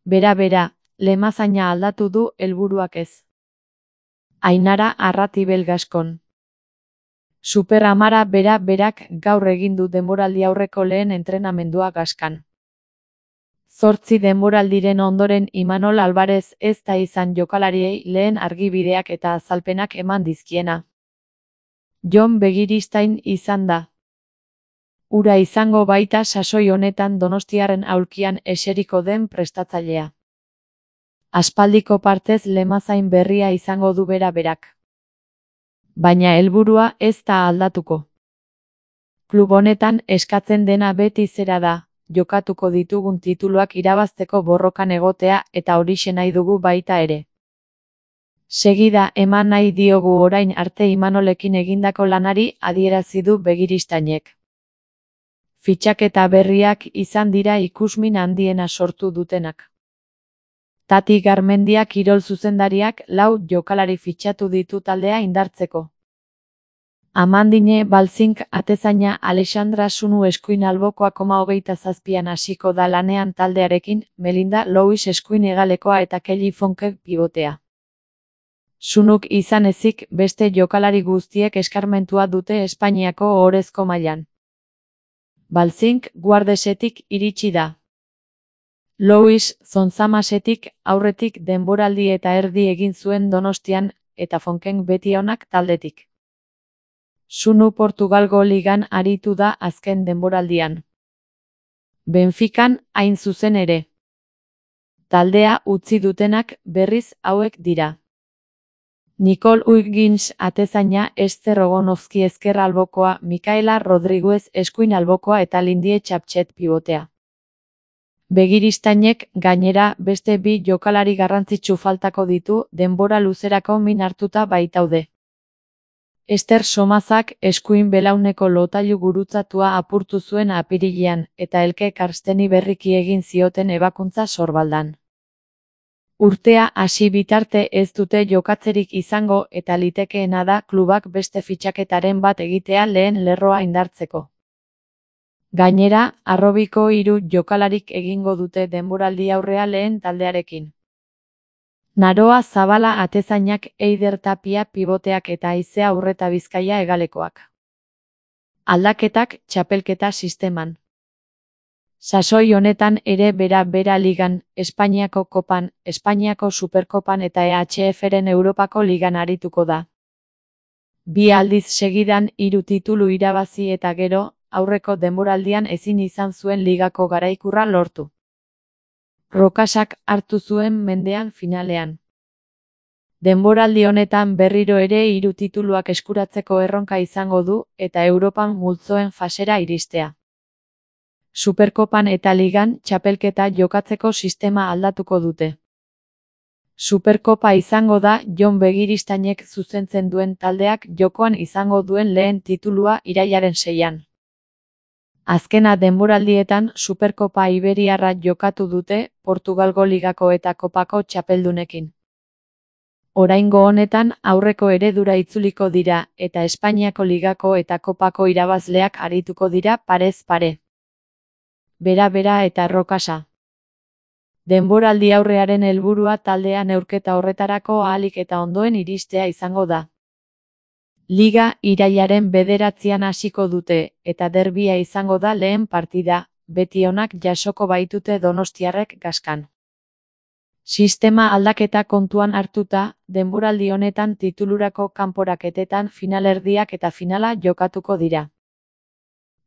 Bera, Lemazaina aldatu du helburuak ez. Ainara Arratibel Gaskon. Super Amara berak gaur egin du denboraldi aurreko lehen entrenamendua Gaskan. 8 denboraldiren ondoren Imanol Alvarez ez da izan jokalariei lehen argibideak eta azalpenak eman dizkiena. Jon Begiristain izan da. Ura izango baita sasoi honetan donostiarren aulkian eseriko den prestatzailea. Aspaldiko partez Lemazain berria izango du berak. Baina helburua ez da aldatuko. Klub honetan eskatzen dena beti zera da, jokatuko ditugun tituluak irabazteko borrokan egotea eta horixe nahi dugu baita ere. Segida eman nahi diogu orain arte Imanolekin egindako lanari, adierazi du Begiristainek. Fitxaketa berriak izan dira ikusmin handiena sortu dutenak. Tati Garmendia kirol zuzendariak 4 jokalari fitxatu ditu taldea indartzeko. Amandine Balzink atezaina Alexandra Sunu eskuin albokoa 27an hasiko da lanean taldearekin, Melinda Louis eskuin hegalekoa eta Kelly Fonke pibotea. Sunuk izan ezik beste jokalari guztiek eskarmentua dute Espainiako ohorezko mailan. Balzink guardesetik iritsi da. Louis Zonzamasetik aurretik denboraldi eta erdi egin zuen Donostian eta Fonken beti onak taldetik. Sunu Portugalgo ligan aritu da azken denboraldian. Benfican hain zuzen ere. Taldea utzi dutenak berriz hauek dira. Nicole Huygens atezaina, Ester Ogonovski ezker albokoa, Micaela Rodriguez eskuin albokoa eta Lindie Txaptxet pibotea. Begiristainek gainera beste 2 jokalari garrantzitsu faltako ditu denbora luzerako min hartuta baitaude. Ester Somazak eskuin belauneko lotailu gurutzatua apurtu zuen apirilean eta Elke Karsteni berriki egin zioten ebakuntza Sorbaldan. Urtea hasi bitarte ez dute jokatzerik izango eta litekeena da klubak beste fitxaketaren bat egitea lehen lerroa indartzeko. Gainera, harrobiko 3 jokalarik egingo dute denboraldi aurrea lehen taldearekin. Naroa Zabala atezainak, Eider Tapia piboteak eta Aizea Urreta Bizkaia hegalekoak. Aldaketak txapelketa sisteman. Sasoi honetan ere bera ligan, Espainiako kopan, Espainiako superkopan eta EHF-ren Europako ligan arituko da. 2 aldiz segidan 3 titulu irabazi eta gero, aurreko denboraldian ezin izan zuen ligako garaikurra lortu. Rokasak hartu zuen mendean finalean. Denboraldi honetan berriro ere 3 tituluak eskuratzeko erronka izango du eta Europan multzoen fasera iristea. Superkopan eta ligan txapelketa jokatzeko sistema aldatuko dute. Superkopa izango da Jon Begiristainek zuzentzen duen taldeak jokoan izango duen lehen titulua irailaren 6an. Azkena denboraldietan Superkopa Iberiarra jokatu dute Portugalgo ligako eta kopako txapeldunekin. Oraingo honetan aurreko eredura itzuliko dira eta Espainiako ligako eta kopako irabazleak arituko dira parez pare. Bera eta Rokasa. Denboraldi aurrearen helburua taldea neurketa horretarako ahalik eta ondoen iristea izango da. Liga irailaren 9an hasiko dute eta derbia izango da lehen partida, beti onak jasoko baitute donostiarrek Gaskan. Sistema aldaketa kontuan hartuta, denboraldi honetan titulurako kanporaketetan finalerdiak eta finala jokatuko dira.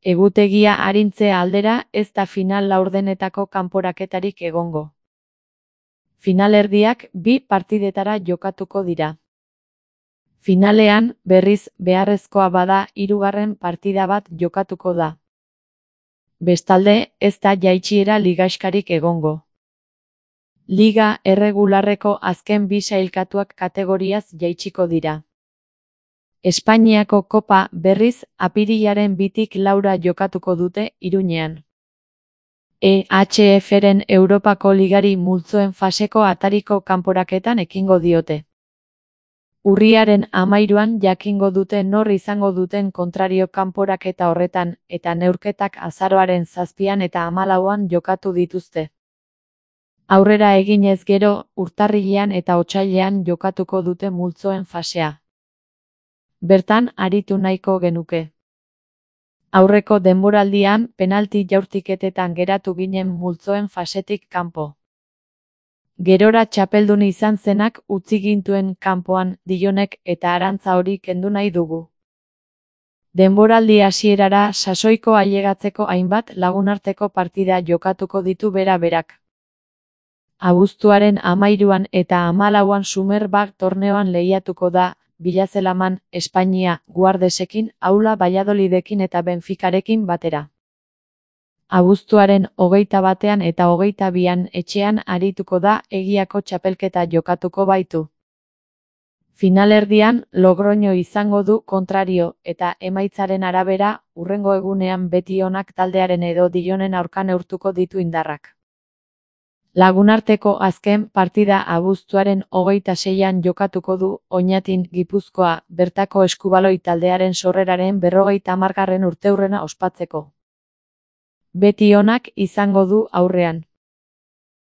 Egutegia arintze aldera ez da final laurdenetako kanporaketarik egongo. Finalerdiak 2 partidetara jokatuko dira. Finalean, berriz beharrezkoa bada 3. partida bat jokatuko da. Bestalde, ez da jaitsiera ligaxkarik egongo. Liga erregularreko azken 2 sailkatuak kategoriaz jaitsiko dira. Espainiako kopa berriz apirilaren 2tik 4 jokatuko dute Iruñean. EHF-ren Europako ligari multzoen faseko atariko kanporaketan ekingo diote. Urriaren 13an jakingo dute nor izango duten kontrario kanporaketa horretan eta neurketak azaroaren 7an eta 14an jokatu dituzte. Aurrera eginez gero, urtarrilean eta otsailean jokatuko dute multzoen fasea. Bertan aritu nahiko genuke. Aurreko denboraldian penalti jaurtiketetan geratu ginen multzoen fasetik kanpo. Gerora txapeldun izan zenak utzi gintuen kanpoan Dillonek eta arantza hori kendu nahi dugu. Denboraldi hasierara sasoiko ailegatzeko hainbat lagunarteko partida jokatuko ditu bera-berak. Abuztuaren 13an eta 14an Superbag torneoan lehiatuko da, Bilazelaman, Espainia, Guardesekin, Aula Valladolidekin eta Benficarekin batera. Abuztuaren 21an eta 22an etxean arituko da, Egiako txapelketa jokatuko baitu. Finalerdian, Logroño izango du kontrario, eta emaitzaren arabera, hurrengo egunean Betionak taldearen edo Dillonen aurka neurtuko ditu indarrak. Lagunarteko azken partida abuztuaren 26an jokatuko du, Oñatin, Gipuzkoa, bertako eskubaloi taldearen sorreraren 50. urteurrena ospatzeko. Betionak izango du aurrean.